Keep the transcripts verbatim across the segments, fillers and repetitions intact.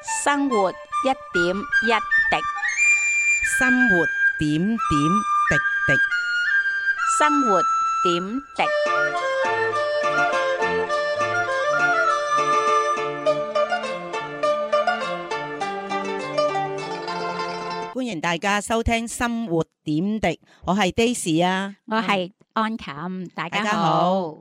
生活一點一滴，生活點點滴滴。生活點滴。歡迎大家收聽生活點滴，我係 Daisy 啊，我係安琴，大家好。大家好。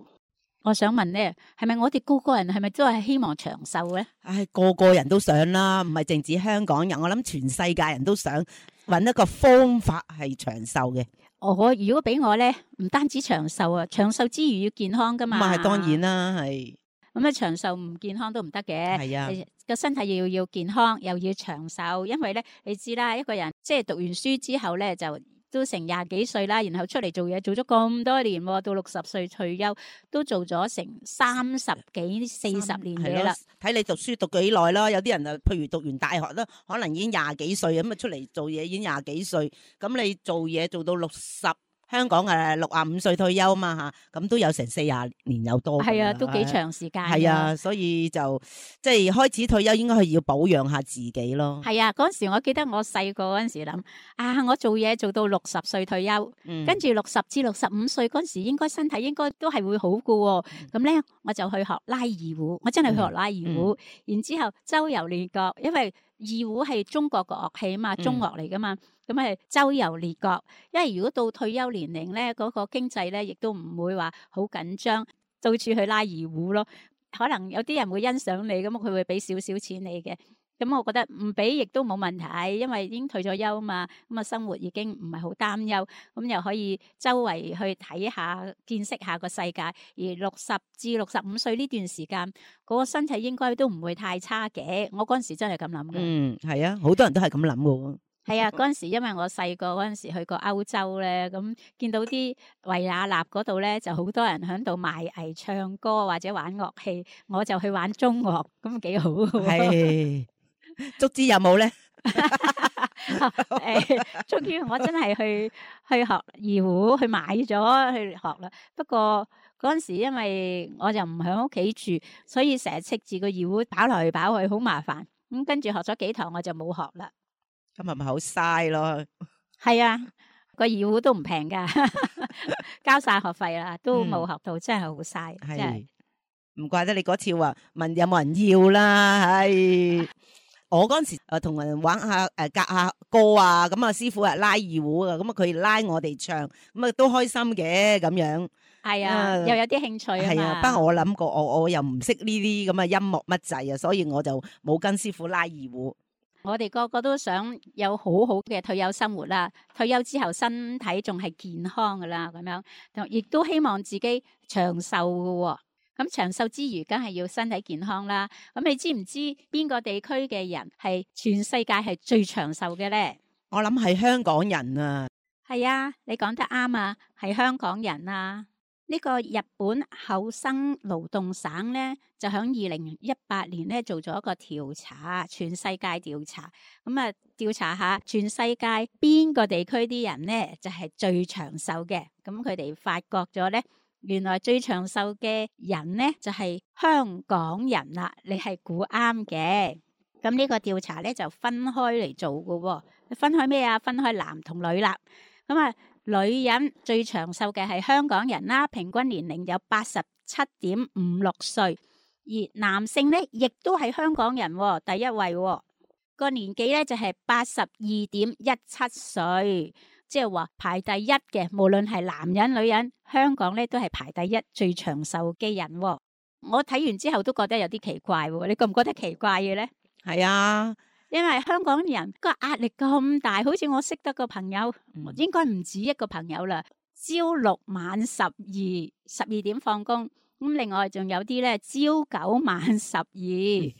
我想問咧，係咪我哋個個人係咪都係希望長壽咧？唉，個個人都想啦，唔係淨止香港人，我諗全世界人都想揾一個方法係長壽嘅。我如果俾我咧，唔單止長壽啊，長壽之餘要健康噶嘛。咁啊，係當然啦，係。咁啊，長壽唔健康都唔得嘅。係啊，個身體要要健康，又要長壽，因為咧，你知啦，一個人即係讀完書之後咧，就都成廿幾歲啦，然後出嚟做嘢，做咗咁多年，到六十歲退休，都做咗成三十幾四十年嘢啦。睇你讀書讀幾耐啦，有啲人啊，譬如讀完大學啦，可能已經廿幾歲咁啊，出嚟做嘢已經廿幾歲，咁你做嘢做到六十。香港誒六啊五歲退休嘛嚇，咁都有成四廿年有多。係啊，都幾長時間。係啊，所以就即係開始退休應該係要保養下自己咯。係啊，嗰陣時我記得我細個嗰陣時諗啊，我做嘢做到六十歲退休，嗯、跟住六十至六十五歲嗰陣時應該身體應該都係會好嘅喎。咁咧、嗯、我就去學拉二胡，我真係去學拉二胡，嗯嗯、然之後周遊列國，因為二胡係中國個樂器啊嘛，中樂嚟噶嘛。咁係周遊列國，因為如果到退休年齡咧，嗰、那個經濟咧，亦都唔會話好緊張，到處去拉二胡咯。可能有啲人會欣賞你，咁佢會俾少少錢你嘅。咁我覺得唔俾亦都冇問題，因為已經退咗休嘛，咁啊生活已經唔係好擔憂，咁又可以周圍去睇下、見識下個世界。而六十至六十五歲呢段時間，嗰、那個身體應該都唔會太差嘅。我嗰陣時真係咁諗嘅。嗯，係啊，好多人都係咁諗嘅。係啊，嗰陣時因為我細個嗰陣時去過歐洲咧，咁見到啲維也納嗰度咧，就好多人喺度賣藝、唱歌或者玩樂器，我就去玩中樂，咁幾好。係，足之有冇咧？誒，終於我真係去去學二胡，去買咗去學啦。不過嗰陣時因為我就唔喺屋企住，所以成日斥住個二胡跑來跑去，好麻煩。咁跟住學咗幾堂，我就冇學啦。咁係咪好嘥咯？係啊，個二胡都唔平噶，交晒學費啦，都冇學到，嗯、真係好嘥。係，唔怪得你嗰次話問有冇人要啦。係，我嗰陣時誒同人玩下誒夾下歌啊，咁啊師傅係拉二胡啊，咁啊佢拉我哋唱，咁啊都開心嘅咁樣。係啊，呃、又有啲興趣啊嘛。係啊，不過我諗過我我又唔識呢啲咁嘅音樂乜滯啊，所以我就冇跟師傅拉二胡。我哋個個都想有好好嘅退休生活啦，退休之後身體仲係健康噶啦，咁樣，亦都希望自己長壽噶。咁長壽之餘，梗係要身體健康啦。咁你知唔知邊個地區嘅人係全世界係最長壽嘅咧？我諗係香港人啊。係啊，你講得啱啊，係香港人啊。呢個日本厚生勞動省咧，就喺二零一八年咧做咗一個調查，全世界調查，咁啊調查下全世界邊個地區啲人咧就係最長壽嘅。咁佢哋發覺咗咧，原來最長壽嘅人咧就係香港人啦。你係估啱嘅。咁呢個調查咧就分開嚟做㗎，分開咩啊？分開男同女啦。咁啊。女人最長壽嘅係香港人啦，平均年齡有八十七點五六歲，而男性咧亦都係香港人第一位，個年紀咧就係八十二點一七歲，即係話排第一嘅，無論係男人女人，香港咧都係排第一最長壽嘅人。我睇完之後都覺得有啲奇怪，你覺唔覺得奇怪嘅咧？係啊。因為香港人個壓力咁大，好似我識得個朋友，嗯、應該唔止一個朋友啦。朝六晚十二，十二點放工，咁另外仲有啲咧朝九晚十二、嗯，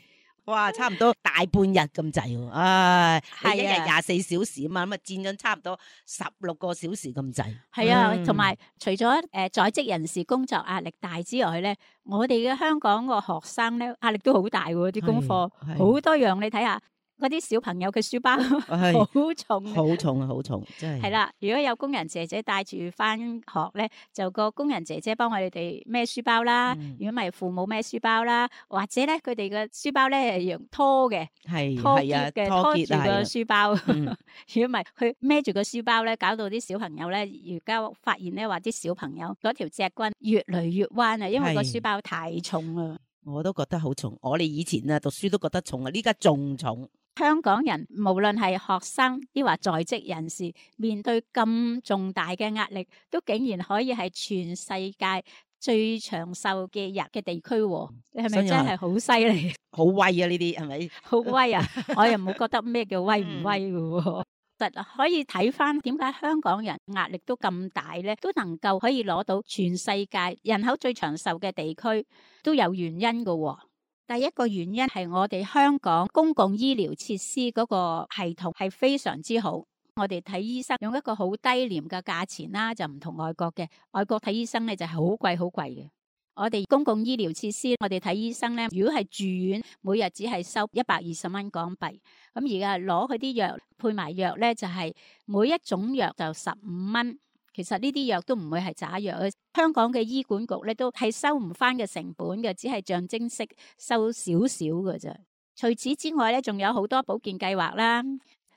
哇，差唔多大半日咁滯喎。唉，係、啊、一日廿四小時啊嘛，咁啊佔咗差唔多十六個小時咁滯。係啊，同埋、嗯、除咗誒、呃、在職人士工作壓力大之外咧，我哋嘅香港個學生咧壓力都好大喎，啲功課好多樣，你睇下。嗰啲小朋友嘅書包係好重啊。好重啊，好重，真係。係啦，如果有工人姐姐帶住翻學咧，就個工人姐姐幫我哋哋孭書包啦。嗯如果唔係父母孭書包啦，或者咧佢哋嘅書包咧係用拖嘅，係拖係啊，篋嘅，拖結啊，拖住個係啊書包。嗯如果唔係，佢孭住個書包咧，搞到啲小朋友咧，而家發現咧話啲小朋友嗰條脊骨越嚟越彎啊，因為個係書包太重啦。我都覺得好重。我哋以前啊讀書都覺得重啊，呢家仲重。香港人無論係學生抑或在職人士，面對咁重大嘅壓力，都竟然可以係全世界最長壽嘅人嘅地區喎。你係咪真係好犀利？好威啊！呢啲係咪？好威啊！我又冇覺得咩叫威唔威嘅喎。實可以睇翻點解香港人壓力都咁大咧，都能夠可以攞到全世界人口最長壽嘅地區，都有原因嘅喎。第一個原因係我哋香港公共醫療設施嗰個系統係非常之好，我哋睇醫生用一個好低廉嘅價錢啦，就唔同外國嘅，外國睇醫生咧就係好貴好貴嘅。我哋公共醫療設施，我哋睇醫生咧，如果係住院，每日只係收一百二十蚊港幣，咁而家攞佢啲藥配埋藥咧，就係每一種藥就十五蚊。其實呢啲藥都唔會係假藥，香港嘅醫管局咧都係收唔翻嘅成本嘅，只係象徵式收少少嘅啫。除此之外咧，仲有好多保健計劃啦，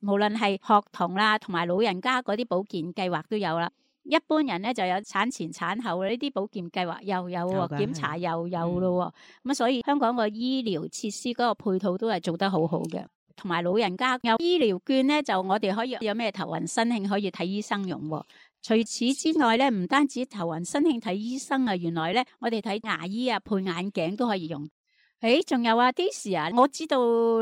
無論係學童啦，同埋老人家嗰啲保健計劃都有啦。一般人咧就有產前產後呢啲保健計劃又有喎，檢查又有咯喎。咁所以香港個醫療設施嗰個配套都係做得好好嘅，同埋老人家有醫療券咧，就我哋可以有咩頭暈身慶可以睇醫生用喎。除此之外咧，唔單止頭暈身慶睇醫生啊，原來咧我哋睇牙醫啊，配眼鏡都可以用。誒，仲有啊，Daisy啊，我知道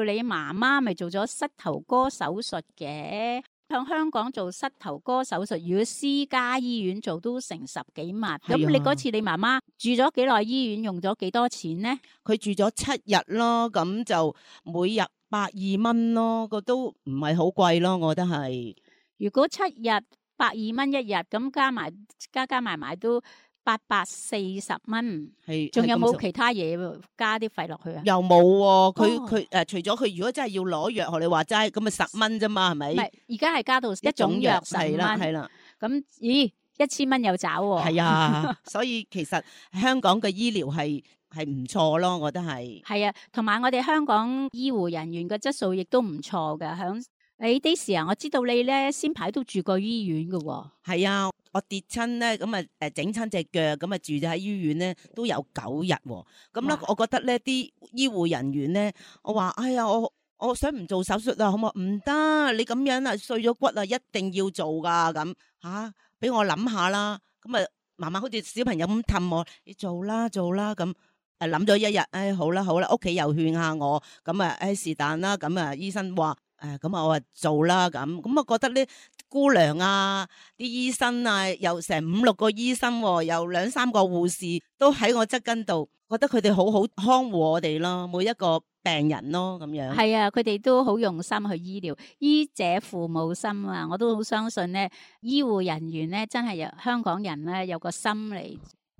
你媽媽咪做咗膝頭哥手術嘅，向香港做膝頭哥手術，如果私家醫院做都成十幾萬。咁你嗰次你媽媽住咗幾耐醫院，用咗幾多錢呢？佢住咗七日咯，咁就每日百二蚊咯，個都唔係好貴咯，我覺得係。如果七日百二蚊一日，咁加埋加加埋埋都八百四十蚊。係，仲有冇其他嘢加啲費落去啊？又冇喎，佢佢誒，除咗佢如果真係要攞藥，學你話齋，咁咪十蚊啫嘛，係咪？唔係，而家係加到一種藥十蚊。係啦，係啦。咁咦，一千蚊有找喎。係啊，所以其實香港嘅醫療係係唔錯咯，我覺得係。係啊，同埋我哋香港醫護人員嘅質素亦都唔錯㗎，響。誒，Daisy啊，我知道你咧先排都住過醫院㗎喎。係啊，我跌親咧，咁啊誒整親隻腳，咁啊住咗喺醫院咧都有九日喎。咁咧，我覺得咧啲醫護人員咧，我話哎呀，我我想唔做手術啊，好唔好？唔得，你咁樣啊碎咗骨啊，一定要做噶咁吓，俾我諗下啦。咁啊，媽媽好似小朋友咁氹我，你做啦做啦咁。誒諗咗一日，誒、哎、好啦好啦，屋企又勸下我，咁啊誒是但啦，咁啊醫生話。誒咁啊，我話做啦咁，咁我覺得咧姑娘啊，啲醫生啊，有成五六個醫生，有兩三個護士都喺我側跟度，覺得佢哋好好看護我哋咯，每一個病人咯咁樣。係啊，佢哋都好用心去醫療，醫者父母心啊！我都好相信咧，醫護人員咧真係有香港人咧有個心嚟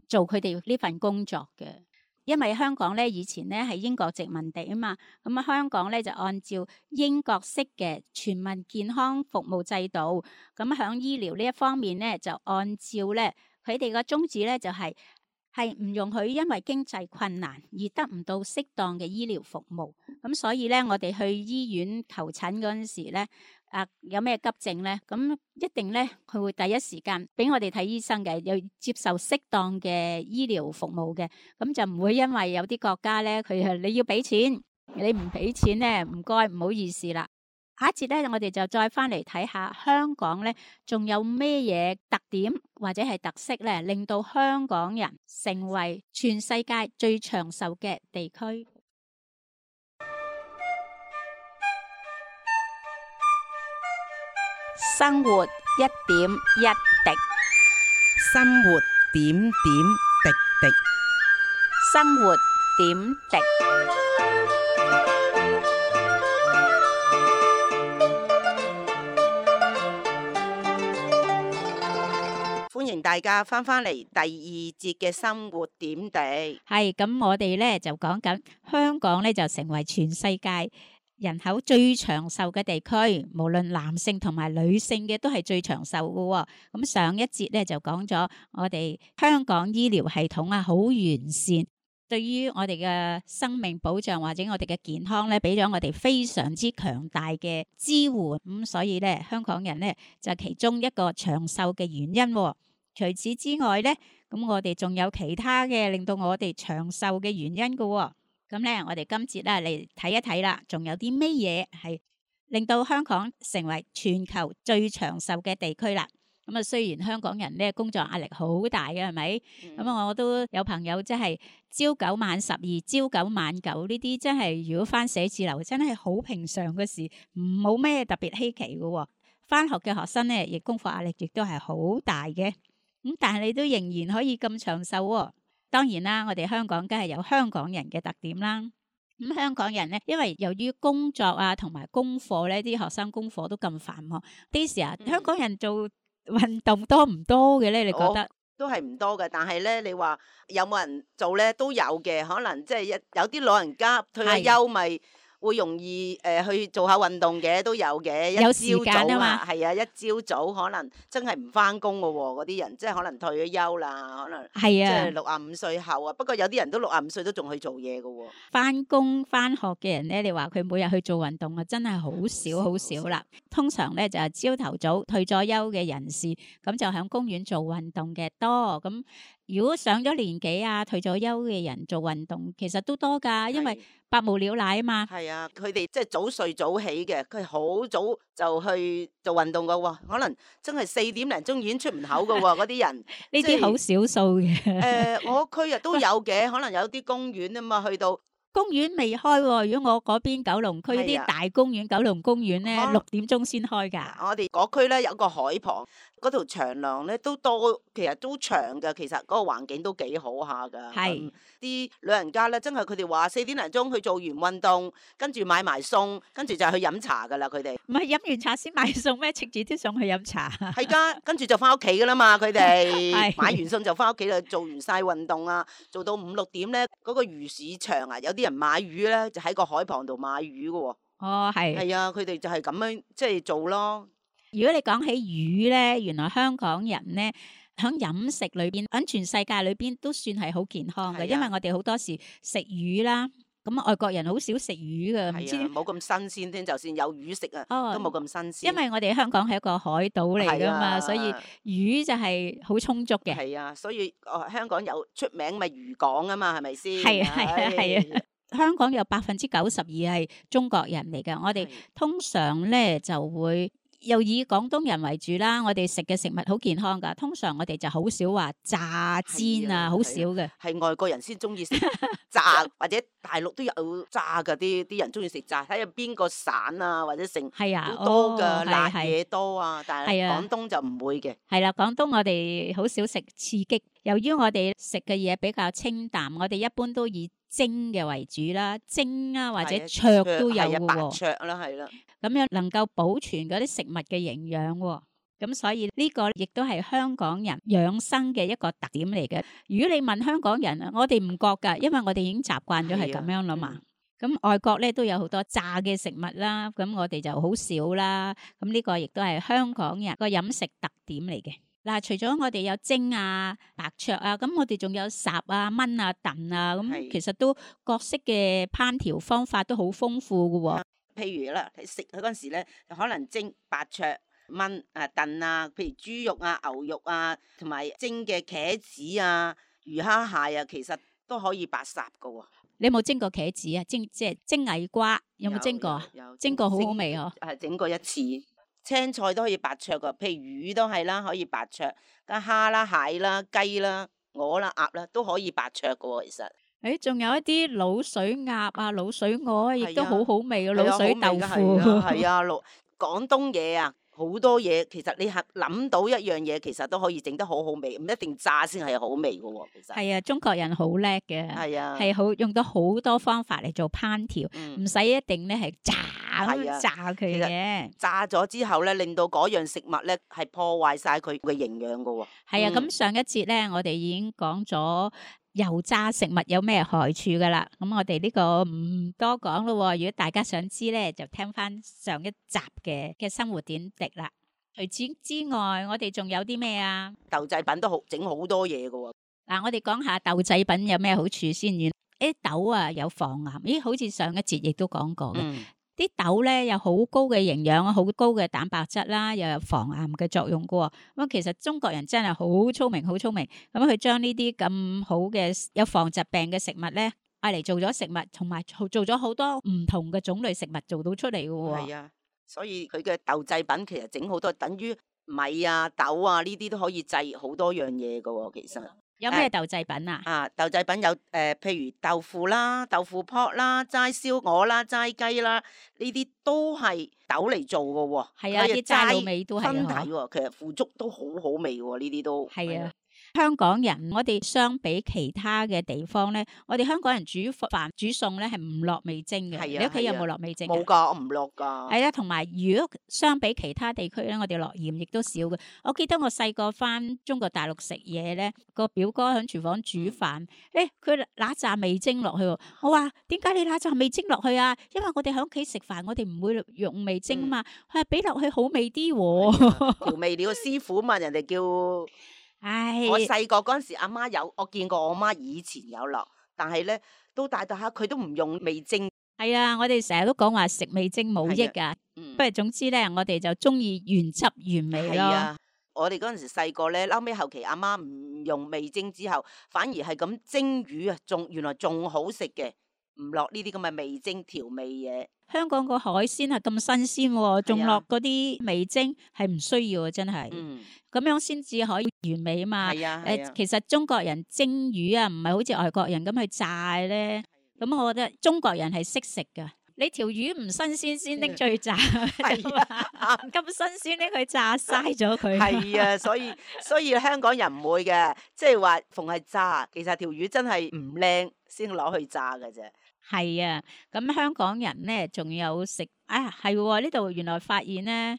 做佢哋呢份工作嘅。因為香港咧以前咧係英國殖民地啊嘛，咁啊香港咧就按照英國式嘅全民健康服務制度，咁響醫療呢一方面咧就按照咧佢哋個宗旨咧就係係唔容許因為經濟困難而得唔到適當嘅醫療服務，咁所以咧我哋去醫院求診嗰陣時咧。啊，有咩急症咧？咁一定咧，佢會第一時間俾我哋睇醫生嘅，又接受適當嘅醫療服務嘅，咁就唔會因為有啲國家咧，佢係你要俾錢，你唔俾錢咧，唔該，唔好意思啦。下一節咧，我哋就再翻嚟睇下香港咧，仲有咩嘢特點或者係特色咧，令到香港人成為全世界最長壽嘅地區。生活一點一滴，生活點點滴滴，生活點滴。歡迎大家翻返嚟第二節嘅生活點滴。係咁，我哋咧就講緊香港咧就成為全世界人口最長壽嘅地區，無論男性同埋女性嘅都係最長壽嘅喎。咁上一節咧就講咗我哋香港醫療系統啊，好完善，對於我哋嘅生命保障或者我哋嘅健康咧，俾咗我哋非常之強大嘅支援。咁所以咧，香港人咧就其中一個長壽嘅原因喎。除此之外咧，咁我哋仲有其他嘅令到我哋長壽嘅原因嘅喎。咁咧，我哋今節咧嚟睇一睇啦，仲有啲咩嘢係令到香港成為全球最長壽嘅地區啦？咁啊，雖然香港人咧工作壓力好大嘅，係咪？咁啊、嗯，我都有朋友即係朝九晚十二、朝九晚九呢啲，真係如果返寫字樓，真係好平常嘅事，冇咩特別稀奇嘅喎。返學嘅學生咧，亦功課壓力亦都係好大嘅。咁但係你都仍然可以咁長壽喎。當然啦，我哋香港梗係有香港人嘅特點啦。咁香港人咧，因為由於工作啊同埋功課咧，啲學生功課都咁繁忙，啲時啊，香港人做運動多唔多嘅咧？你覺得？都係唔多嘅，但係咧，你話有冇人做咧都有嘅，可能即係一有啲老人家退咗休咪。會容易誒、呃、去做下運動嘅都有嘅，有時間啊嘛，係啊，一朝早可能真係唔翻工嘅喎，嗰啲人即係可能退咗休啦，可能係啊，即係六啊五歲後啊。不過有啲人都六啊五歲都仲去做嘢嘅喎。翻工翻學嘅人咧，你話佢每日去做運動啊，真係好少好少啦。通常咧就係朝頭早退咗休嘅人士，咁就喺公園做運動嘅多。咁如果上咗年紀啊，退咗休嘅人做運動，其實都多㗎，因為百無聊賴啊嘛。係啊，佢哋即係早睡早起嘅，佢係好早就去做運動㗎喎，可能真係四點零鐘已經出門口㗎喎，嗰啲人呢啲好少數嘅。誒、呃，我區啊都有嘅，可能有啲公園啊嘛，去到。公園未開喎，如果我嗰邊九龍區啲、啊、大公園，九龍公園咧六點鐘先開㗎。我哋嗰區咧有個海旁，嗰條長廊咧都多，其實都長㗎。其實嗰個環境都幾好下㗎。係啲是、嗯、老人家咧，真係佢哋話四點零鐘去做完運動，跟住買埋餸，跟住就去飲茶㗎啦。佢哋唔係飲完茶先買餸咩？直接都想去飲茶。係㗎，跟住就翻屋企㗎啦嘛。佢哋買完餸就翻屋企啦，做完晒運動啊，做到五六點咧，嗰、嗰個魚市場啊，有啲人買魚咧，就喺個海旁度買魚㗎喎。哦，係。係啊，佢哋就係咁樣即係做咯。如果你講起魚咧，原來香港人咧喺飲食裏邊，喺全世界裏邊都算係好健康嘅，啊、因為我哋好多時食魚啦。咁外國人好少食魚㗎，唔知冇咁新鮮添。就算有魚食啊，哦、都冇咁新鮮。因為我哋香港係一個海島嚟㗎嘛，啊、所以魚就係好充足嘅。係啊，所以哦香港有出名咪漁港啊嘛，係咪先？係啊係啊係啊！香港有百分之九十二係中國人嚟嘅，我哋通常咧就會。又以廣東人為主啦，我哋食嘅食物好健康㗎。通常我哋就好少話炸煎啊，好少嘅。係外國人先中意食炸，或者大陸都有炸㗎。啲啲人中意食炸，睇下邊個省啊，或者城係啊，好多㗎，哦、辣嘢多啊。但係廣東就唔會嘅。係啦，廣東我哋好少食刺激。由於我哋食嘅嘢比較清淡，我哋一般都以蒸嘅為主啦，蒸啊或者灼都有嘅喎。白灼啦，係啦。咁樣能夠保存嗰啲食物嘅營養喎，咁所以呢個亦都係香港人養生嘅一個特點嚟嘅。如果你問香港人啊，我哋唔覺㗎，因為我哋已經習慣咗係咁樣啦嘛。咁、嗯、外國咧都有好多炸嘅食物啦，咁我哋就好少啦。咁呢個亦都係香港人個飲食特點嚟嘅。嗱，除咗我哋有蒸啊、白灼啊，咁我哋仲有烚啊、炆啊、燉啊，咁其實都各式嘅烹調方法都好豐富㗎喎。譬如啦，食佢嗰陣時咧，可能蒸、白灼、炆啊、燉啊，譬如豬肉啊、牛肉啊，同埋蒸嘅茄子啊、魚蝦蟹啊，其實都可以白烚㗎喎。你有冇蒸過茄子啊？蒸即係蒸矮瓜，有冇蒸過啊？有，有蒸過好好味嗬。係整過一次，青菜都可以白灼㗎，譬如魚都係啦，可以白灼，咁蝦啦、蟹啦、雞啦、鵝啦、鴨啦，都可以白灼㗎喎，其實。誒，仲有一啲滷水鴨啊、滷水鵝，亦都好好味嘅滷水豆腐。係啊，廣廣東嘢啊，好多嘢。其實你係諗到一樣嘢，其實都可以整得好好味，唔一定炸先係好味嘅喎。其實係啊，中國人好叻嘅，係啊，係好用到好多方法嚟做烹調，唔使、嗯、一定咧係炸咁炸佢嘅。炸咗之後咧，令到嗰樣食物咧係破壞晒佢嘅營養嘅喎。係啊，咁、嗯、上一節咧，我哋已經講咗。油炸食物有咩害處噶啦。咁我哋呢個唔多講咯。如果大家想知咧，就聽翻上一集嘅嘅生活點滴啦。除此之外，我哋仲有啲咩啊？豆製品都好整好多嘢噶喎。嗱，我哋講下豆製品有咩好處先。原誒豆啊有防癌，咦？好似上一節亦都講過嘅。嗯啲豆咧有好高嘅營養，好高嘅蛋白質啦，又有防癌嘅作用噶喎。咁其實中國人真係好聰明，好聰明。咁佢將呢啲咁好嘅有防疾病嘅食物咧，嗌嚟做咗食物，同埋做咗好多唔同嘅種類食物做到出嚟嘅喎。係啊，所以佢嘅豆製品其實整好多，等於米啊、豆啊呢啲都可以製好多樣嘢噶喎。其實有咩豆製品啊？啊，豆製品有誒、呃，譬如豆腐啦、豆腐撲啦、齋燒鵝啦、齋雞啦，呢啲都係豆嚟做嘅喎。係啊，啲齋滷味都係分體啊。喎，其實腐竹都好好味喎，呢啲都係啊。香港人，我哋相比其他嘅地方咧，我哋香港人煮飯煮餸咧係唔落味精嘅。係啊你屋企有冇落味精？冇㗎，我唔落㗎。係啊，同埋如果相比其他地區咧，我哋落鹽亦都少嘅。我記得我細個翻中國大陸食嘢咧，個表哥喺廚房煮飯，誒佢揦扎味精落去喎。我話點解你揦扎味精落去啊？因為我哋喺屋企食飯，我哋唔會用味精啊嘛。佢話俾落去好味啲喎。調味料師傅嘛，人哋叫。唉，我細個嗰陣時，阿媽有，我見過我媽以前有落，但係咧都大大下佢都唔用味精。係啊，我哋成日都講話食味精冇益㗎。嗯，不過總之咧，我哋就中意原汁原味咯。係啊，我哋嗰陣時細個咧，後尾後期阿媽唔用味精之後，反而係咁蒸魚啊，仲原來仲好食嘅，唔落呢啲咁嘅味精調味嘢。香港個海鮮係咁新鮮喎，仲落嗰啲味精係唔需要啊，真係。嗯，咁樣先至可以原味啊嘛。係啊，誒、係啊，其實中國人蒸魚啊，唔係好似外國人咁去炸咧。咁我覺得中國人係識食噶。你條魚唔新鮮先拎出去炸，係啊，咁新鮮拎去炸，嘥咗佢。係啊，所以所以香港人唔會嘅，即係話逢係炸，其實條魚真係唔靚先攞去炸嘅啫。係啊，咁香港人咧仲有食啊，係喎，呢度原來發現咧，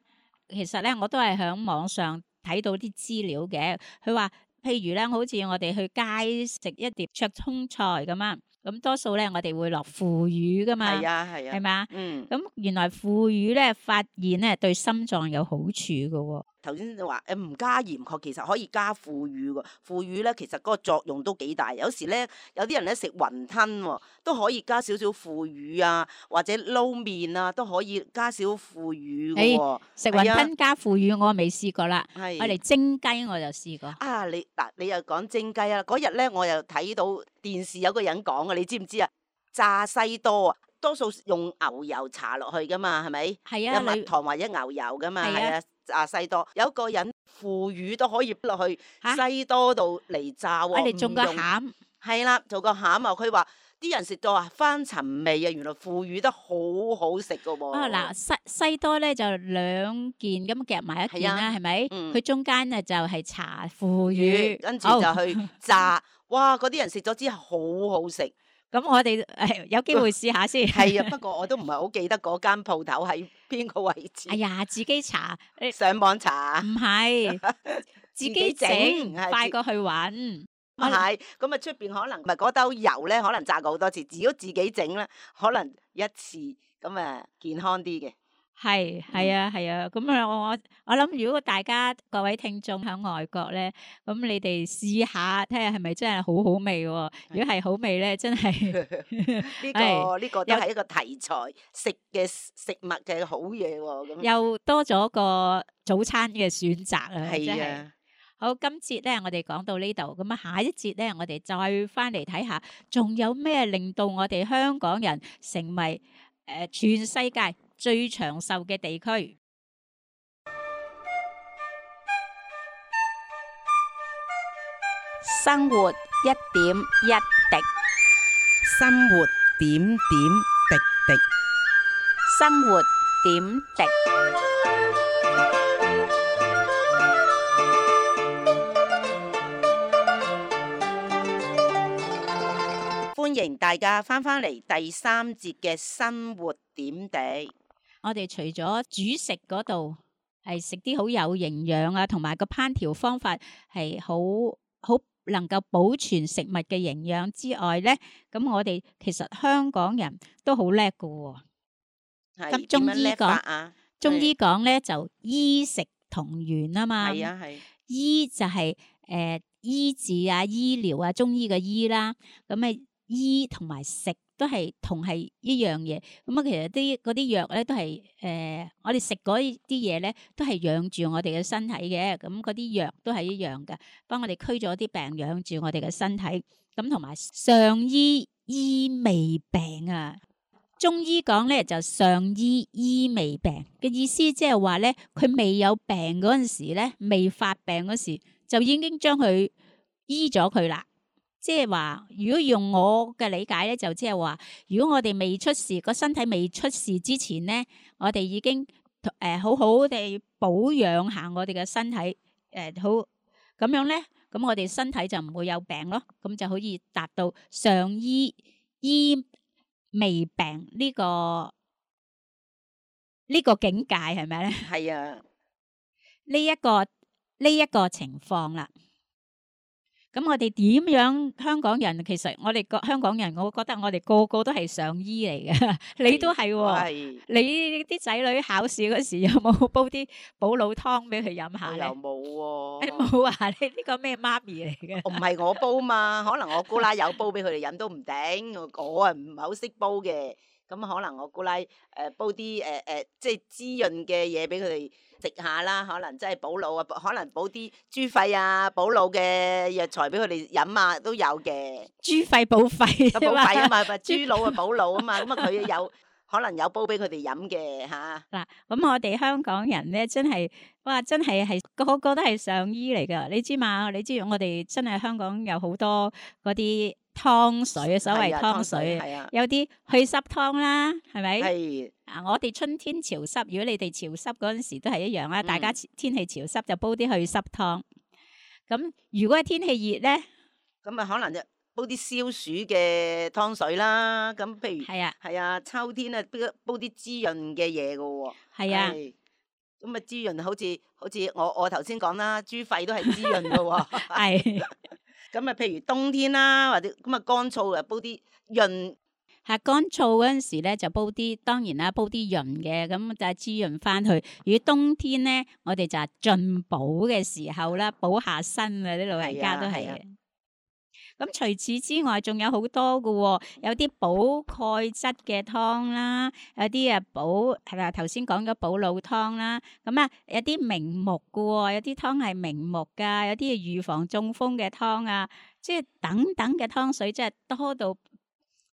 其實咧我都係喺網上睇到啲資料嘅。佢話譬如咧，好似我哋去街食一碟灼通菜咁啊，咁多數咧我哋會落腐乳噶嘛，係啊，係啊，係嘛？嗯。咁原來腐乳咧發現咧對心臟有好處嘅喎。頭先你話誒唔加鹽，確其實可以加腐乳喎。腐乳咧其實嗰個作用都幾大。有時咧有啲人咧食雲吞喎，都可以加少少腐乳啊，或者撈麵啊都可以加少腐乳嘅喎。食雲吞加腐乳我未試過啦，係我嚟蒸雞我就試過。啊，你嗱你又講蒸雞啊？嗰日咧我又睇到電視有個人講啊，你知唔知啊？炸西多啊，多數用牛油搽落去噶嘛，係咪？係啊，有蜜糖或者牛油噶嘛，係啊。係啊。炸西多，有一個人腐乳都可以落去嚇西多度嚟炸喎，我哋種個唔用餡。係啦，做個餡啊！佢話啲人食到啊翻尋味啊，原來腐乳得好好食噶喎。啊嗱，西西多咧就兩件咁夾埋一件啦，係咪？嗯佢中間咧就係搽腐乳，跟住就去炸，哇！嗰啲人食咗之後好好食。咁我哋誒有機會試下先。係啊，不過我都唔係好記得嗰間鋪頭喺邊個位置。哎呀，自己搽，誒上網查唔係自己整，係快過去揾。唔係，咁啊出邊可能唔係嗰兜油咧，可能炸過好多次。如果自己整咧，可能一次咁啊健康啲嘅。係係啊係啊，咁啊我我我諗，如果大家各位聽眾喺外國咧，咁你哋試下睇下係咪真係好好味喎？如果係好味咧，真係呢個呢個都係一個題材，食嘅食物嘅好嘢喎。咁又多咗個早餐嘅選擇啊！真係係啊。好，今節咧我哋講到呢度，咁啊下一節咧我哋再翻嚟睇下，仲有咩令到我哋香港人成為誒、呃、全世界最長壽嘅地區？生活一點一滴，生活點點滴滴，生活點滴。歡迎大家翻返嚟第三節嘅生活點滴。我哋除咗煮食嗰度係食啲好有營養啊，同埋個烹調方法係好好能夠保存食物嘅營養之外咧，咁我哋其實香港人都好叻㗎喎。係咁中醫點樣叻法講，啊？中係醫講咧就醫食同源啊嘛。係啊係醫就係、誒、醫治啊、醫療啊，中醫嘅醫啦。咁啊，醫同埋食都係同係一樣嘢。咁啊，其實啲嗰啲藥咧都係誒、我哋食嗰啲嘢咧都係養住我哋嘅身體嘅。咁嗰啲藥都係一樣嘅，幫我哋驅咗啲病，養住我哋嘅身體。咁同埋上醫醫未病啊。中醫講咧就上醫醫未病嘅意思，即係話咧佢未有病嗰陣時咧，未發病嗰時就已經將佢醫咗佢啦。即係話，如果用我嘅理解咧，就即係話，如果我哋未出事，個身體未出事之前咧，我哋已經誒、呃、好好地保養下我哋嘅身體，誒、呃、好咁樣咧，咁我哋身體就唔會有病咯，咁就可以達到上醫醫未病呢、個呢、個境界係咪咧？係啊，呢一個呢一個情況啦。咁我哋點樣香港人？其實我哋個香港人，我覺得我哋個個都係上醫嚟嘅，你都係喎。係你啲仔女考試嗰時有冇煲啲補腦湯俾佢飲下咧？我又冇你喎。冇啊？你呢個咩媽咪嚟嘅？唔係我煲嘛，可能我姑奶有煲俾佢哋飲都唔定，我我啊唔係好識煲嘅，咁可能我姑奶誒、呃煲啲誒誒即係滋潤嘅嘢俾佢哋食下啦，可能真係補腦啊，可能補啲豬肺啊補腦嘅藥材俾佢哋飲啊都有嘅，豬肺補肺咁補肺啊嘛，咪豬腦啊補腦啊嘛，咁啊佢有可能有煲俾佢哋飲嘅嚇。嗱，咁我哋香港人咧，真係哇，真係係個個都係上醫嚟噶。你知嘛？你知我哋真係香港有好多嗰啲湯水，所謂係啊湯水，係啊，有啲去濕湯啦，係咪？係啊，我哋春天潮濕，如果你哋潮濕嗰陣時都係一樣啦。嗯大家天氣潮濕就煲啲去濕湯。咁如果係天氣熱咧，咁啊可能就煲啲消暑嘅湯水啦，咁譬如。係啊，係啊，秋天啊，煲煲啲滋潤嘅嘢嘅喎。係啊，係咁啊，滋潤好似好似我我頭先講啦，豬肺都係滋潤嘅喎。係咁啊，譬如冬天啦，或者咁啊乾燥啊，煲啲潤係乾燥嗰陣時咧，就煲啲當然啦，煲啲潤嘅，咁就係滋潤翻去。如果冬天咧，我哋就係進補嘅時候啦，補下身啊，啲老人家都係係啊係啊嘅。咁除此之外，仲有好多嘅喎，有啲補鈣質嘅湯啦，有啲啊補係咪頭先講咗補腦湯啦，咁啊有啲明目嘅喎，有啲湯係明目㗎，有啲係預防中風嘅湯啊，即係等等嘅湯水，真係多到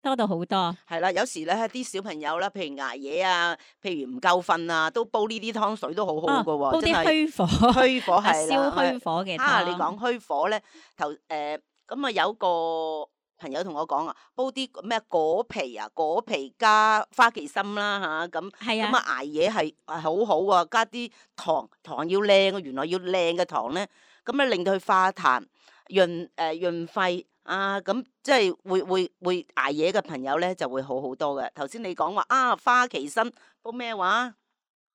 多到好多。係啦。有時咧啲小朋友啦，譬如捱夜啊，譬如唔夠瞓啊，都煲呢啲湯水都好好嘅喎，哦煲啲真係虛火，虛火啊係燒啦。虛火嘅湯。啊，你講虛火咧，頭誒咁啊有個朋友同我講啊，煲啲咩果皮啊，果皮加花旗參啦嚇，咁係啊咁啊捱夜係係好好啊，加啲糖糖要靚啊，原來要靚嘅糖咧，咁咧令到佢化痰、潤誒、呃、潤肺啊，咁即係會會會捱夜嘅朋友咧就會好好多嘅。頭先你講話啊花旗參煲咩話？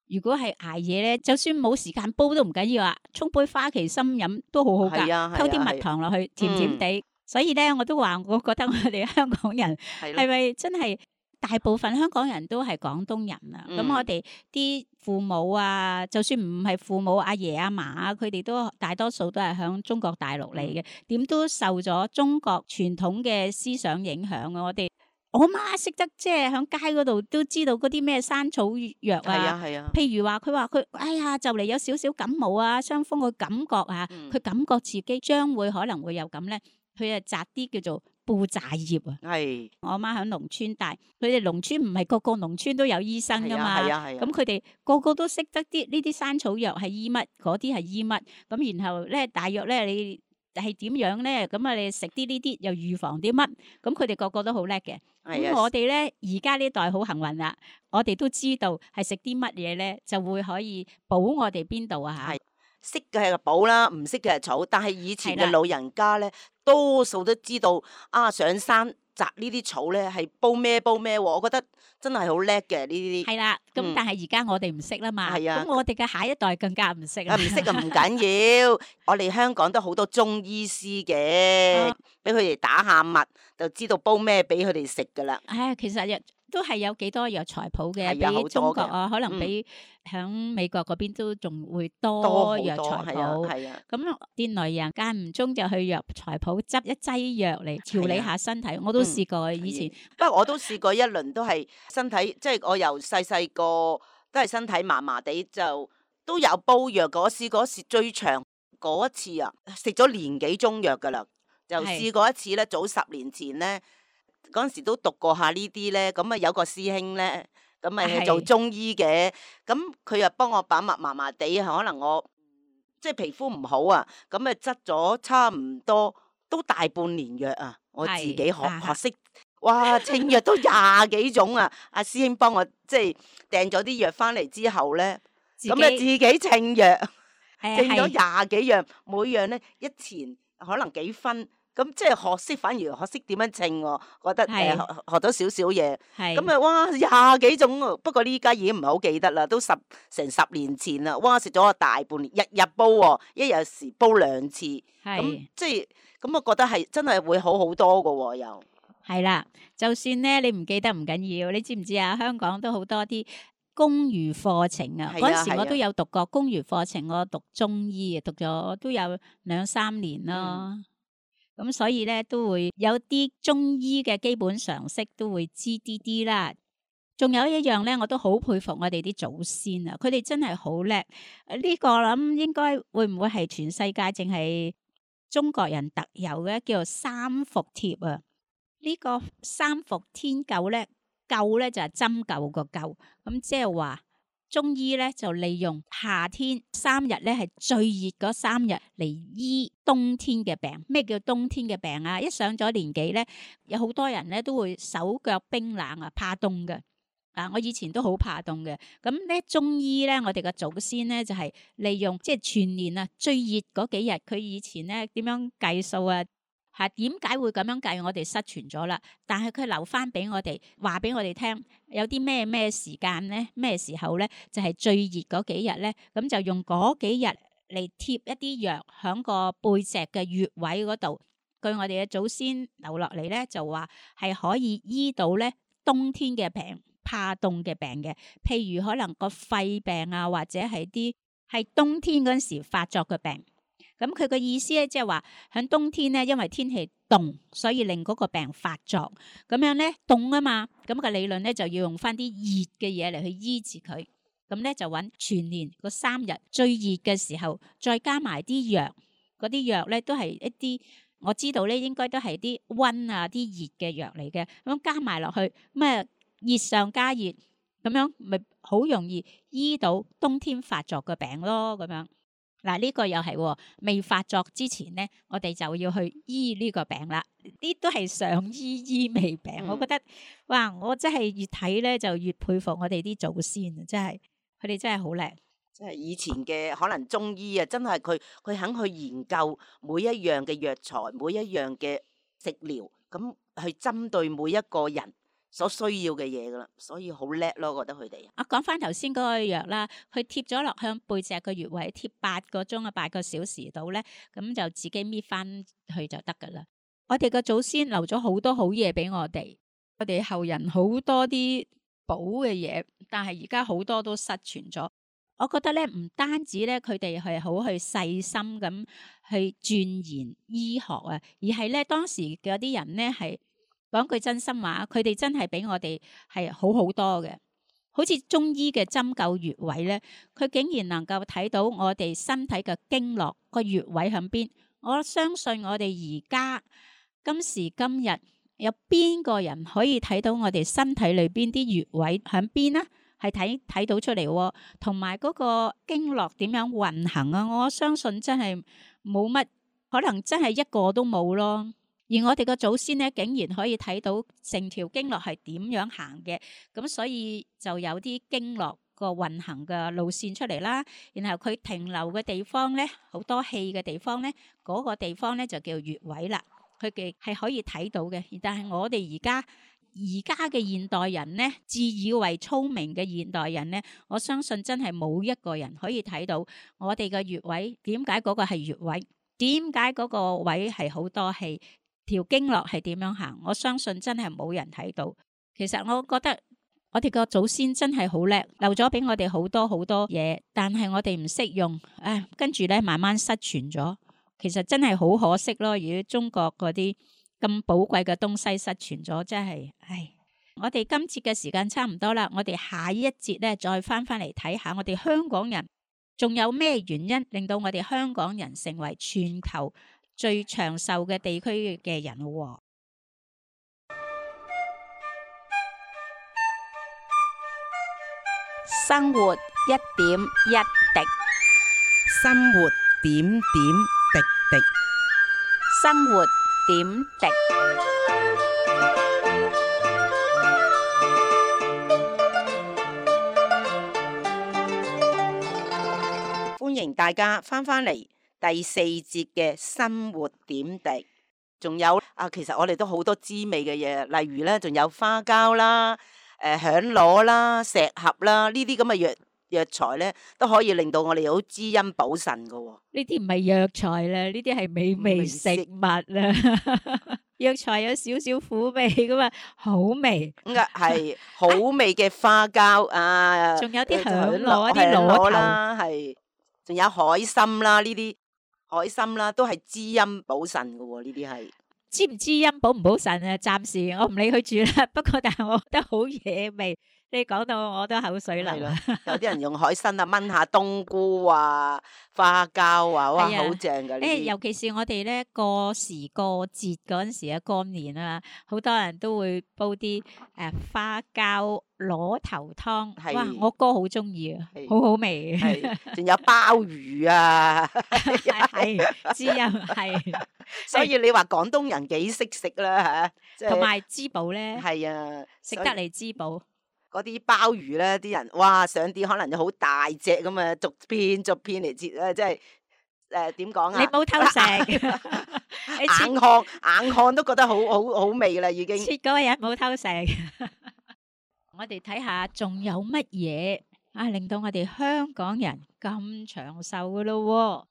如果係捱夜咧，就算冇時間煲都唔緊要啊，沖杯花旗參飲都好好㗎，係啊係啊溝啲蜜係啊糖落去，甜甜地。所以咧，我都話，我覺得我哋香港人係咯，係咪真係大部分香港人都係廣東人啊？咁、嗯我哋啲父母啊，就算唔係父母，阿爺阿嫲啊，佢哋都大多數都係響中國大陸嚟嘅，點都受咗中國傳統嘅思想影響啊！我哋我媽識得即係響街嗰度都知道嗰啲咩山草藥係啊係啊，譬如話佢話佢哎呀就嚟有少少感冒啊傷風嘅感覺啊，嗯佢、感覺自己將會可能會有咁咧，佢就摘啲叫做布寨葉啊。係我阿媽喺農村大，佢哋農村唔係個個農村都有醫生噶嘛，係啊係啊，咁佢哋個個都識得啲呢啲山草藥係醫乜，嗰啲係醫乜，咁然後咧大約咧你係點樣咧？咁啊你食啲呢啲又預防啲乜？咁佢哋個個都好叻嘅。咁係啊我哋咧而家呢代好幸運啦，我哋都知道係食啲乜嘢咧，就會可以補我哋邊度啊嚇。係識嘅係寶啦，唔識嘅係草。但係以前係啦嘅老人家咧，多數都知道啊，上山摘呢啲草咧，係煲咩煲咩喎，我覺得真係好叻嘅呢啲。係啦，咁嗯但係而家我哋唔識啦嘛，係啊咁我哋嘅下一代更加唔識啦。啊，唔識啊唔緊要，我哋香港都好多中醫師嘅啊，俾佢哋打下脈，就知道煲咩俾佢哋食噶啦。唉，其實都係有幾多藥材鋪嘅，係啊好多比中國嘅啊，可能嗯比響美國嗰邊都仲會多多好藥材多係啊鋪。係啊，咁啲內人間唔中就去藥材鋪執一劑藥嚟調理係啊下身體，我都嗯試過以前。不過我都試過一輪，都係身體，即係我由細細個都係身體麻麻地，就都有煲藥。嗰時嗰時最長嗰一次啊，食咗年幾中藥噶啦，就係試過一次咧，早十年前咧，嗰陣時都讀過下呢啲咧，咁啊有個師兄咧，咁咪係做中醫嘅，咁佢又幫我把脈麻麻地，可能我即係皮膚唔好啊，咁啊執咗差唔多都大半年藥啊，我自己學係學識。哇！清藥都廿幾種啊！阿師兄幫我即係訂咗啲藥翻嚟之後咧，自咁啊自己己清藥，誒清咗係廿幾樣，每樣咧一錢可能幾分，咁即係學識，反而學識點樣稱喎，覺得誒係學學到少少嘢。係咁啊，哇！廿幾種喎，不過呢家已經唔係好記得啦，都十成十年前啦。哇！食咗個大半年，日日煲喎，一日時煲兩次，咁係即係咁，我覺得係真係會好好多噶喎，又。係啦，就算咧你唔記得唔緊要，你知唔知啊？香港都好多啲公餘課程啊，係啊嗰陣時係啊我都有讀過公餘課程，我讀中醫啊，讀咗都有兩三年咯。咁、所以咧都會有啲中醫嘅基本常識都會知啲啲啦。仲有一樣咧，我都好佩服我哋啲祖先啊，佢哋真係好叻。呢、個我諗應該會唔會係全世界淨係中國人特有嘅，叫做三伏貼啊？呢個三伏天灸咧，灸咧就係針灸個灸，咁即係話中醫咧就利用夏天三日咧係最熱嗰三日嚟醫冬天嘅病。咩叫冬天嘅病啊？一上咗年紀咧，有好多人咧都會手腳冰冷啊，怕凍嘅。啊！我以前都好怕凍嘅，咁咧中醫咧，我哋嘅祖先咧就係、利用即係全年啊最熱嗰幾日，佢以前咧點樣計數啊？嚇點解會咁樣計？我哋失傳咗啦，但係佢留翻俾我哋，話俾我哋聽，有啲咩咩時間咧，咩時候咧，就係、最熱嗰幾日咧，咁就用嗰幾日嚟貼一啲藥喺個背脊嘅穴位嗰度。據我哋嘅祖先留落嚟咧，就話係可以醫到咧冬天嘅病、怕凍嘅病嘅，譬如可能個肺病啊，或者係啲係冬天嗰陣時發作嘅病。咁佢個意思咧，即係話喺冬天咧，因為天氣凍，所以令嗰個病發作。咁樣咧凍啊嘛，咁個理論咧就要用翻啲熱嘅嘢嚟去醫治佢。咁咧就揾全年嗰三日最熱嘅時候，再加埋啲藥，嗰啲藥咧都係一啲我知道咧，應該都係啲溫啊、啲熱嘅藥嚟嘅。咁加埋落去，咁啊熱上加熱，咁樣咪好容易醫到冬天發作嘅病咯，咁樣。嗱，呢個又係未發作之前咧，我哋就要去醫呢個病啦。呢都係上醫醫未病，嗯我覺得哇！我真係越睇咧就越佩服我哋啲祖先啊！真係佢哋真係好叻。即係以前嘅可能中醫啊，真係佢佢肯去研究每一樣嘅藥材，每一樣嘅食療，咁去針對每一個人所需要嘅嘢噶啦，所以好叻咯，我覺得佢哋。啊，講翻頭先嗰個藥啦，佢貼咗落向背脊個穴位，貼八個鐘啊，八個小時到咧，咁就自己搣翻去就得噶啦。我哋個祖先留咗好多好嘢俾我哋，我哋後人好多啲補嘅嘢，但係而家好多都失傳咗。我覺得咧，唔單止咧，佢哋係好去細心咁去鑽研醫學啊，而係咧當時嗰啲人咧係講句真心話，佢哋真係比我哋係好好多嘅。好似中醫嘅針灸穴位咧，佢竟然能夠睇到我哋身體嘅經絡個穴位喺邊。我相信我哋而家今時今日有邊個人可以睇到我哋身體裏邊啲穴位喺邊啊？係睇睇到出嚟，同埋嗰個經絡點樣運行啊！我相信真係冇乜，可能真係一個都冇咯。而我哋個祖先咧，竟然可以睇到成條經絡係點樣行嘅，咁所以就有啲經絡個運行嘅路線出嚟啦。然後佢停留嘅地方咧，好多氣嘅地方咧，嗰個地方咧就叫穴位啦。佢哋係可以睇到嘅。但係我哋而家而家嘅現代人咧，自以為聰明嘅現代人咧，我相信真係冇一個人可以睇到我哋嘅穴位點解嗰個係穴位，點解嗰個位係好多氣，條經絡係點樣行。我相信真係冇人睇到。其實我覺得我哋個祖先真係好叻，留咗俾我哋好多好多嘢，但係我哋唔識用，唉，跟住咧慢慢失傳咗。其實真係好可惜咯。如果中國嗰啲咁寶貴嘅東西失傳咗，真係唉。我哋今節嘅時間差唔多啦，我哋下一節咧再翻翻嚟睇下我哋香港人仲有咩原因令到我哋香港人成為全球最長壽嘅地區嘅人喎。生活一點一滴，生活點點滴滴，生活點滴。歡迎大家翻返嚟第四節嘅生活點滴。仲有啊，其實我哋都好多滋味嘅嘢，例如咧，仲有花膠啦、誒、呃、響螺啦、石斛啦，呢啲咁嘅藥藥材咧，都可以令到我哋好滋陰補腎噶喎。呢啲唔係藥材啦，呢啲係美味食物啦。藥材有少少苦味噶嘛，好味。咁啊係好味嘅花膠啊，仲有啲響螺、啲螺啦，係，仲有海參啦，呢啲海參啦，都係滋陰補腎噶喎，呢啲係。滋唔滋陰補唔補腎啊？暫時我唔理佢住啦。不過但係我覺得好惹味。你講到我都口水流啦。有啲人用海參啊，炆下冬菇啊、花膠啊，哇，好正噶呢啲。尤其是我哋咧過時過節嗰陣時啊，過年啊，好多人都會煲啲誒、呃、花膠螺頭湯。哇，我哥好中意啊，好好味。仲有鮑魚啊，係滋陰係。所以你話廣東人幾識食啦嚇，同埋滋補咧。係啊，食得嚟滋補。嗰啲鮑魚咧，啲人哇上啲可能就好大隻咁啊，逐片逐片嚟切咧，即係誒點講啊？你冇偷食，硬看硬看都覺得好好好味啦，已經。切嗰個人冇偷食。我哋睇下仲有乜嘢啊，令到我哋香港人咁長壽噶咯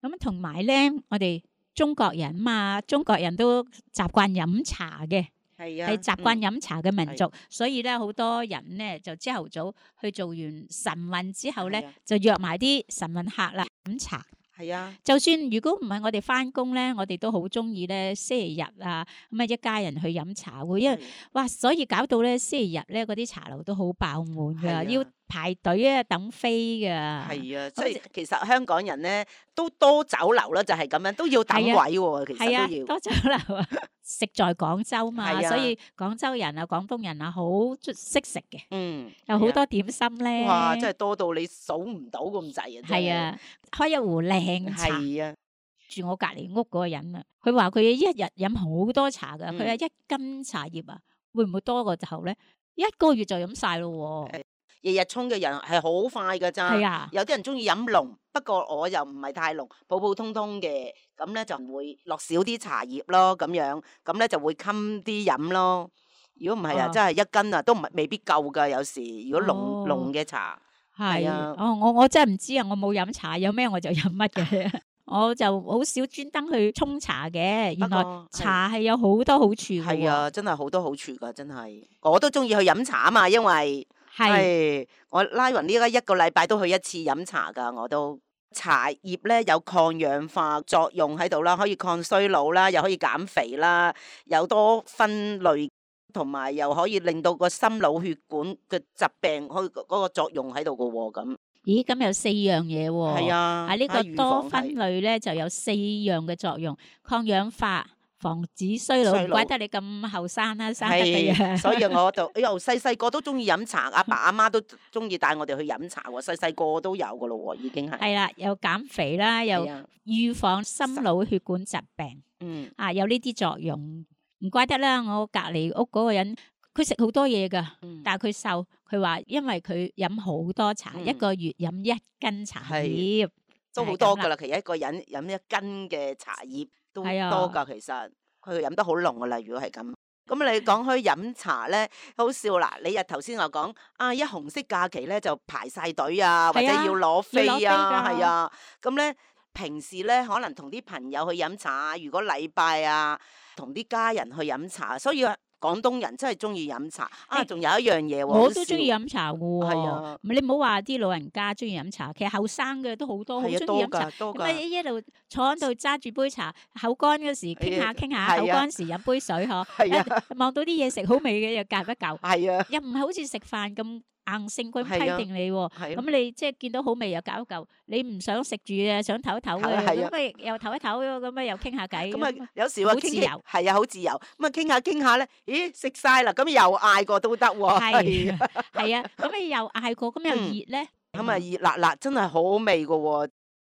喎。咁同埋咧，我哋中國人嘛，中國人都習慣飲茶嘅。係啊，係習慣飲茶嘅民族，嗯、所以咧好多人咧就朝頭早去做完晨運之後咧，啊、就約埋啲晨運客啦飲茶。係啊，就算如果唔係我哋翻工咧，我哋都好中意咧星期日啊咁啊一家人去飲茶喎，因為、啊、哇，所以搞到咧星期日咧嗰啲茶樓都好爆滿噶，啊、要排隊啊等飛噶。係啊，所以其實香港人咧都多酒樓啦，就係咁樣都要等位喎，啊、其實都要、啊、多酒樓啊。食在廣州嘛，啊、所以廣州人啊、廣東人啊好識食嘅，嗯，有好多點心咧。哇，真係多到你數唔到咁滯啊！係啊，開一壺靚茶。係啊，住我隔離屋嗰個人啊，佢話佢一日飲好多茶噶，佢話、嗯、一斤茶葉啊，會唔會多過頭咧？一個月就飲晒咯喎。日日沖嘅人係好快㗎咋，啊、有啲人中意飲濃，不過我又唔係太濃，普普通通嘅，咁咧就唔會落少啲茶葉咯，咁樣，咁咧就會襟啲飲咯。如果唔係啊，真係一斤啊都唔係未必夠㗎，有時如果濃濃嘅茶，係啊，哦，我我真係唔知啊，我冇飲茶，有咩我就飲乜嘅，我就好少專登去沖茶嘅。原來茶係有好多好處㗎。係啊，真係好多好處㗎，真係，我都中意去飲茶啊嘛，因為。係，我拉勻呢家一個禮拜都去一次飲茶噶，我都茶葉咧有抗氧化作用喺度啦，可以抗衰老啦，又可以減肥啦，有多酚類，同埋又可以令到個心腦血管嘅疾病可以嗰個作用喺度噶喎，咁。咦，咁有四樣嘢喎。係啊，啊呢個多酚類咧就有四樣嘅作用，抗氧化。防止衰老，唔怪得你咁後生啦，生得嘅嘢。所以我就由細細個都中意飲茶，阿爸阿媽都中意帶我哋去飲茶喎，細細個都有噶咯喎，已經係。係啦，又減肥啦，又預防心腦血管疾病。嗯，啊有呢啲作用，唔怪得啦。我隔離屋嗰個人，佢食好多嘢噶，嗯、但係佢瘦。佢話因為佢飲好多茶，嗯、一個月飲一斤茶葉，都好多噶啦。其實一個人飲一斤嘅茶葉。都多噶，其實佢飲得好濃噶啦。如果係咁，咁你講開飲茶咧，好笑啦！你日頭先我講啊，一紅色假期咧就排晒隊啊，或者係啊要攞飛要攞飛啊，㗎係啊。咁咧平時咧可能同啲朋友去飲茶，如果禮拜啊，同啲家人去飲茶，所以啊廣東人真係中意飲茶啊！誒仲有一樣嘢喎，我都中意飲茶嘅係喎。啊你唔好話啲老人家中意飲茶，其實後生嘅都好多好係啊，多中意飲茶。㗎多咁啊㗎，一路坐喺度揸住杯茶，口乾嗰時傾下傾下，係啊口乾時飲杯水嗬。係啊一望到啲嘢食好味嘅又夾一嚿，係啊又唔係好似食飯咁硬性咁係啊批定你喎。係啊。咁你即係見到好味又夾一嚿，你唔想食住啊，想唞一唞嘅，係啊係啊咁咪又唞一唞，咁咪又傾下偈。咁啊，有時話傾傾好自由係啊，好自由。咁啊，傾下傾下咧，咦，食晒啦，咁又嗌過都得喎。係係啊係啊，咁你又嗌過，咁又嗯熱咧。咁啊，熱辣辣，真係好好味噶喎。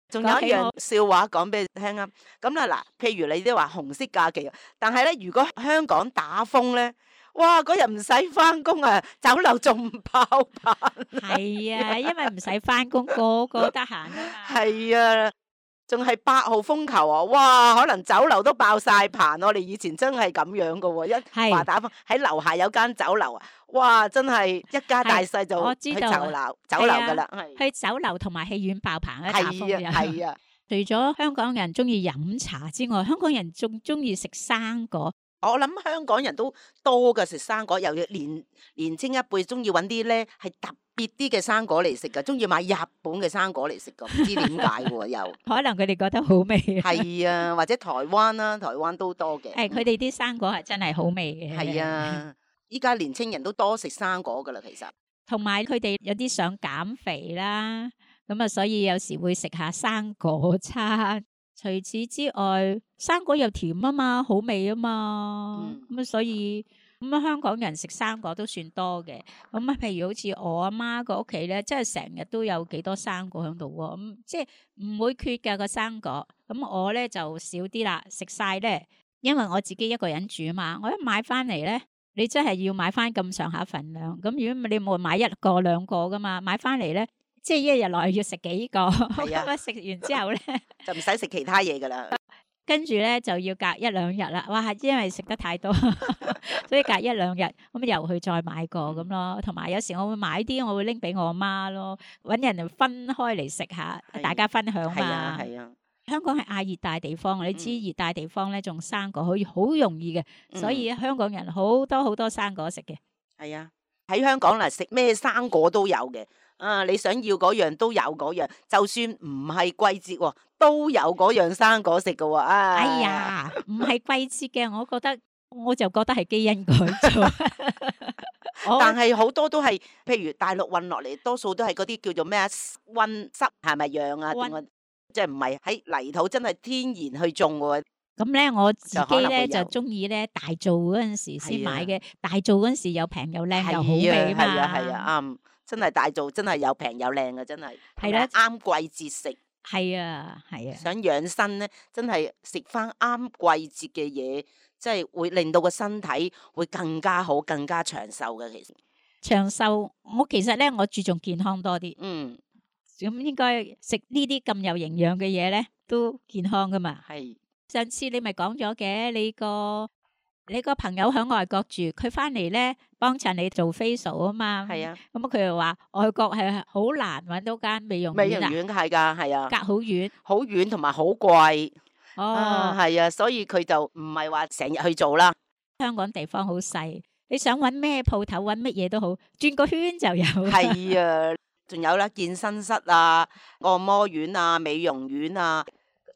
仲有一樣講起我笑話講俾你聽啊。咁啦嗱，譬如你都話紅色假期，但係咧，如果香港打風咧，哇，嗰日唔使翻工啊，酒樓仲爆棚。係啊，因為唔使翻工，個個得閒啊嘛。係啊，仲係八號風球啊！哇，可能酒樓都爆晒棚。我哋以前真係咁樣噶喎，一係話打風喺樓下有間酒樓啊，哇，真係一家大細就我去酒知道樓酒樓噶啦，係去酒樓同埋戲院爆棚啊！打風係啊又係啊。除咗香港人中意飲茶之外，香港人仲中意食生果。我諗香港人都多嘅食生果，又要年年青一輩中意揾啲咧係特別啲嘅生果嚟食噶，中意買日本嘅生果嚟食噶，唔知點解喎又可能佢哋覺得好味啊。係啊，或者台灣啦，台灣都多嘅。誒，佢哋啲生果係真係好味嘅。係啊，依家年青人都多食生果噶啦，其實同埋佢哋有啲想減肥啦，咁啊，所以有時會食下生果餐。除此之外，生果又甜啊嘛，好味啊嘛，咁啊、嗯，所以咁啊，香港人食生果都算多嘅。咁啊，譬如好似我阿媽個屋企咧，即係成日都有幾多生果喺度喎，咁即係唔會缺㗎個生果。咁我咧就少啲啦，食晒咧，因為我自己一個人住啊嘛，我一買翻嚟咧。你真係要買翻咁上下份量，咁如果你冇買一個兩個噶嘛，買翻嚟咧，即係一日內要食幾個，咁啊食完之後咧，就唔使食其他嘢噶啦。跟住咧就要隔一兩日啦。哇，因為食得太多，所以隔一兩日咁又去再買過咁咯。同埋有時我會買啲，我會拎俾我阿媽咯，揾人嚟分開嚟食下，係大家分享係啊嘛。係啊，香港係亞熱帶地方，你知嗯熱帶地方咧種生果可以好容易嘅，所以香港人好多好多生果食嘅。係啊，喺香港嗱食咩生果都有嘅。啊，你想要嗰樣都有嗰樣，就算唔係季節喎，都有嗰樣生果食嘅喎。啊，哎呀，唔係季節嘅，我覺得我就覺得係基因改造。我但係好多都係，譬如大陸運落嚟，多數都係嗰啲叫做咩啊溫濕係咪樣啊？溫定係即係唔係喺泥土真係天然去種喎？咁咧，我自就可己咧能會有就中意咧大做嗰陣時先係啊買嘅，大做嗰陣時又平又靚又好係啊味嘛。係啊係啊，啱，真係大做，真係又平又靚嘅，真係係啦啱季節食。係啊係啊，想養生咧，真係食翻啱季節嘅嘢，即係會令到個身體會更加好、更加長壽嘅。其實，長壽我其實咧我注重健康多啲，嗯，咁應該食呢啲咁有營養嘅嘢咧都健康噶嘛。係上次你咪講咗嘅，你個你個朋友喺外國住，佢翻嚟咧幫襯你做 facial 啊嘛。係啊，咁佢又話外國係好難揾到間美容美容院啊，院係㗎，係啊，隔好遠。好遠同埋好貴。哦，啊，係啊，所以佢就唔係話成日去做啦。香港地方好細，你想揾咩鋪頭揾乜嘢都好，轉個圈就有。係啊，仲有啦，健身室啊、按摩院啊、美容院啊、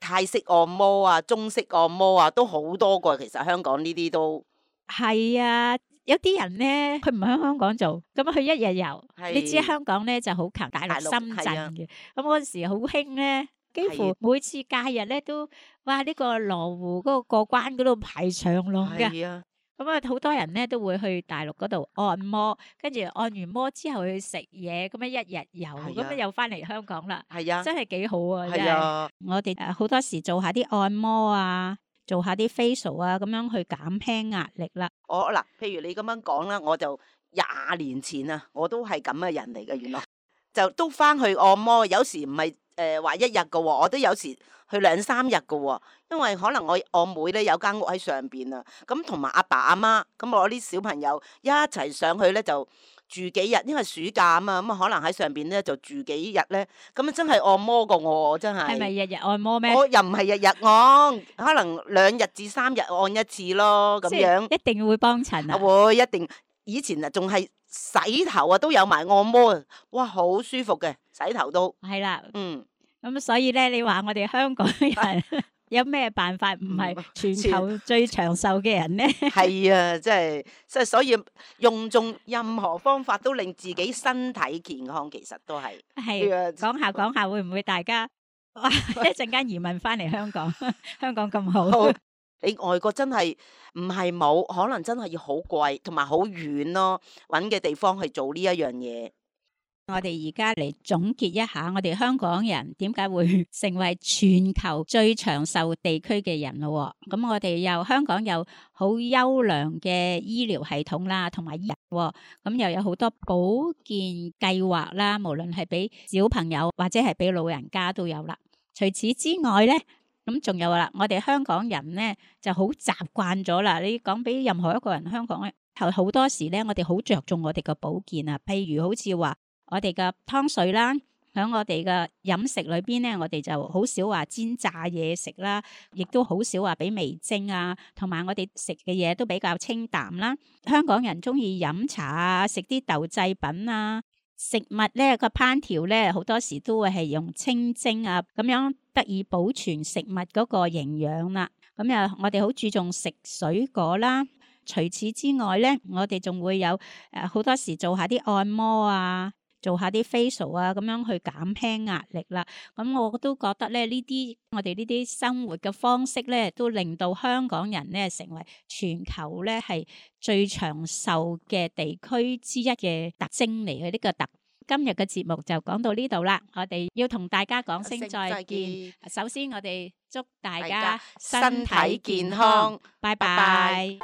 泰式按摩啊、中式按摩啊，都好多個。其實香港呢啲都係啊，有啲人咧，佢唔喺香港做，咁佢一日遊。係你知香港咧就好強，大陸大陸深圳係啊嘅。咁嗰陣時好興咧，幾乎每次假日咧都，哇！呢個羅湖嗰個過關嗰度排長龍嘅。係啊，咁啊，好多人咧都會去大陸嗰度按摩，跟住按完摩之後去食嘢，咁樣一日遊，係啊咁樣又翻嚟香港啦，係啊，真係幾好啊！真係。係啊，我哋誒好多時做下啲按摩啊，做下啲 facial 啊，咁樣去減輕壓力啦。我嗱，譬如你咁樣講啦，我就廿年前啊，我都係咁嘅人嚟嘅，原來就都翻去按摩，有時唔係誒話一日嘅喎，我都有時去兩三日嘅喎，因為可能我我妹咧有間屋喺上邊啊，咁同埋阿爸阿媽，咁我啲小朋友一齊上去咧就住幾日，因為暑假啊嘛，咁啊可能喺上邊咧就住幾日咧，咁啊真係按摩過我真係。係咪日日按摩咩？我又唔係日日按，可能兩日至三日按一次咯，咁即係樣。一定會幫襯啊！會一定，以前啊仲係洗頭啊都有埋按摩啊，哇好舒服嘅，洗頭都。係啦，嗯，咁所以咧，你話我哋香港人有咩辦法唔係全球最長壽嘅人咧？係啊，即係即係，所以用盡任何方法都令自己身體健康，其實都係。係啊講下講下，會唔會大家哇一陣間移民翻嚟香港？香港咁好，好你外國真係唔係冇，可能真係要好貴，同埋好遠咯，揾嘅地方去做呢一樣嘢。我哋而家嚟總結一下，我哋香港人點解會成為全球最長壽地區嘅人咯？咁我哋又香港有好優良嘅醫療系統啦，同埋醫人，咁又有好多保健計劃啦，無論係俾小朋友或者係俾老人家都有啦。除此之外咧，咁仲有啦，我哋香港人咧就好習慣咗啦。你講俾任何一個人，香港咧好多時咧，我哋好着重我哋嘅保健啊，譬如好似話。我哋嘅湯水啦，喺我哋嘅飲食裏邊咧，我哋就好少話煎炸嘢食啦，亦都好少話俾味精啊，同埋我哋食嘅嘢都比較清淡啦。香港人中意飲茶啊，食啲豆製品啊，食物咧個烹調咧好多時都會係用清蒸啊，咁樣得以保存食物嗰個營養啦。咁又我哋好注重食水果啦。除此之外咧，我哋仲會有誒好多時做下啲按摩啊。做下啲 facial 啊，咁樣去減輕壓力啦。咁我都覺得咧，呢啲我哋呢啲生活嘅方式咧，都令到香港人咧成為全球咧係最長壽嘅地區之一嘅特徵嚟嘅呢個特。今日嘅節目就講到呢度啦，我哋要同大家講聲再見。首先，我哋祝大家身體健康，拜拜。